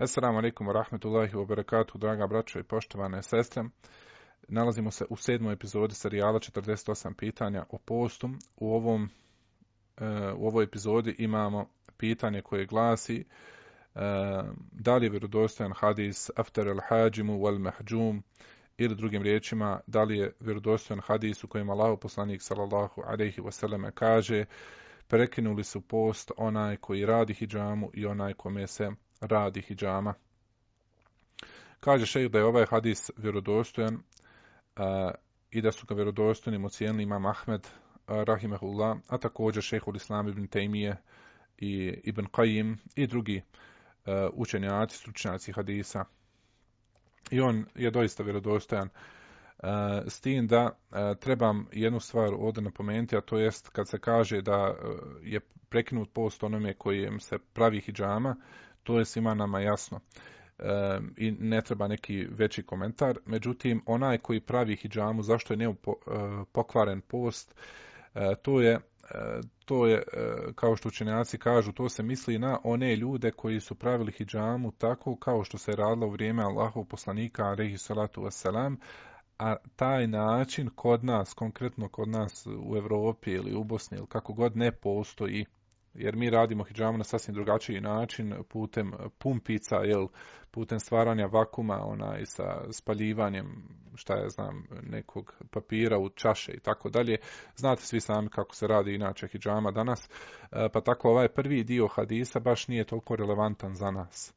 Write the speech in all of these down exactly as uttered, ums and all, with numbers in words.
Assalamu alaikum wa rahmatullahi wa barakatuhu, draga braćo i poštovane sestre. Nalazimo se u sedmoj epizodi serijala četrdeset osam pitanja o postu. U, ovom, u ovoj epizodi imamo pitanje koje glasi da li je vjerodostojan hadis aftar al-hađimu wal mahđum, ili drugim riječima, da li je vjerodostojan hadis u kojem Allahov poslanik sallallahu alejhi ve selleme kaže: prekinuli su post onaj koji radi hidžamu i onaj kome se radi hidžama. Kaže šejh da je ovaj hadis vjerodostojan uh, i da su ga vjerodostojnim ocijenili imam Ahmed uh, rahimehullah, a također šejhul Islam ibn Tejmije i Ibn Qajim i drugi uh, učenjaci, stručnjaci hadisa. I on je doista vjerodostojan. Uh, s tim da uh, trebam jednu stvar ovdje napomenuti, a to jest kad se kaže da uh, je prekinut post onome kojem se pravi hidžama, to je svima nama jasno e, i ne treba neki veći komentar. Međutim, onaj koji pravi hidžamu, zašto je ne po, e, pokvaren post, e, to je, e, to je e, kao što učenjaci kažu, to se misli na one ljude koji su pravili hidžamu tako kao što se radilo u vrijeme Allahov poslanika alejhi salatu vesselam, a taj način kod nas, konkretno kod nas u Europi ili u Bosni ili kako god, ne postoji. Jer mi radimo hidžamu na sasvim drugačiji način, putem pumpica, jel, putem stvaranja vakuma, onaj, sa spaljivanjem, šta ja znam, nekog papira u čaše i tako dalje. Znate svi sami kako se radi inače hidžama danas, pa tako ovaj prvi dio hadisa baš nije toliko relevantan za nas.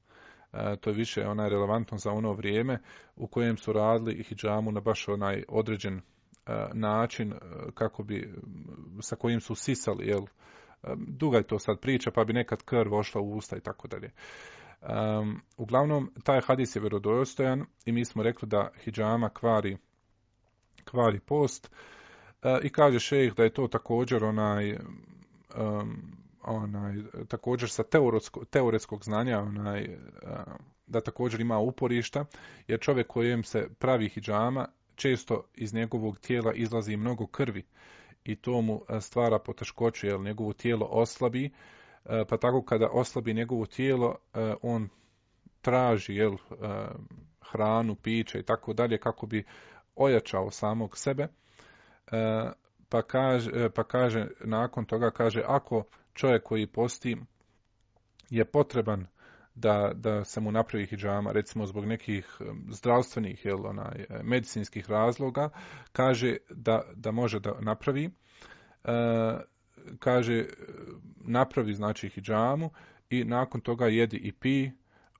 To je više onaj relevantno za ono vrijeme u kojem su radili hidžamu na baš onaj određen način kako bi, sa kojim su sisali, jel, duga je to sad priča, pa bi nekad krv ošla u usta i tako dalje. Um, uglavnom, taj hadis je vjerodostojan i mi smo rekli da hidžama kvari, kvari post. Uh, I kaže šejh da je to također onaj, um, onaj također sa teoretsko, teoretskog znanja, onaj, uh, da također ima uporišta, jer čovjek kojem se pravi hidžama, često iz njegovog tijela izlazi mnogo krvi. I to mu stvara poteškoću, jer njegovo tijelo oslabi, pa tako kada oslabi njegovo tijelo, on traži, jel, hranu, piće i tako dalje kako bi ojačao samog sebe. Pa kaže, pa kaže, nakon toga kaže, ako čovjek koji posti je potreban da, da se mu napravi hidžama, recimo zbog nekih zdravstvenih, jel, onaj, medicinskih razloga, kaže da, da može da napravi, e, kaže napravi znači hidžamu i nakon toga jedi i pi,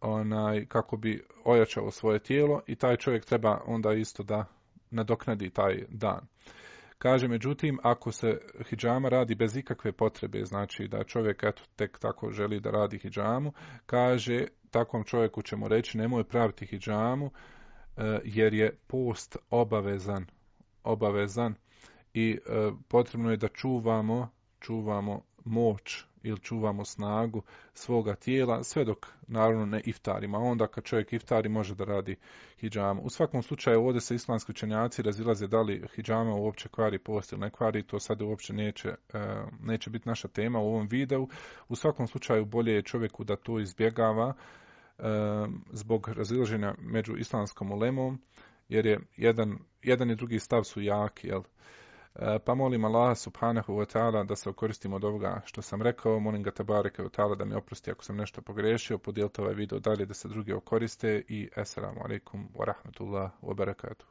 onaj, kako bi ojačao svoje tijelo, i taj čovjek treba onda isto da nadoknadi taj dan. Kaže, međutim, ako se hidžama radi bez ikakve potrebe, znači da čovjek eto, tek tako želi da radi hidžamu, kaže, takvom čovjeku ćemo reći nemoj praviti hidžamu, jer je post obavezan, obavezan i potrebno je da čuvamo, čuvamo moć ili čuvamo snagu svoga tijela, sve dok naravno ne iftarima. Onda kad čovjek iftari može da radi hidžamu. U svakom slučaju ovdje se islamski učenjaci razilaze da li hidžama uopće kvari post ili ne kvari, to sad uopće neće, neće biti naša tema u ovom videu. U svakom slučaju bolje je čovjeku da to izbjegava zbog razilaženja među islamskom ulemom, jer je jedan, jedan i drugi stav su jaki, jel? Pa molim Allaha subhanahu wa ta'ala da se okoristimo od ovoga što sam rekao. Molim ga tabareke wa ta'ala da mi oprosti ako sam nešto pogriješio. Podijelite ovaj video dalje da se drugi okoriste i assalamu alaikum wa rahmatullahi wa barakatuh.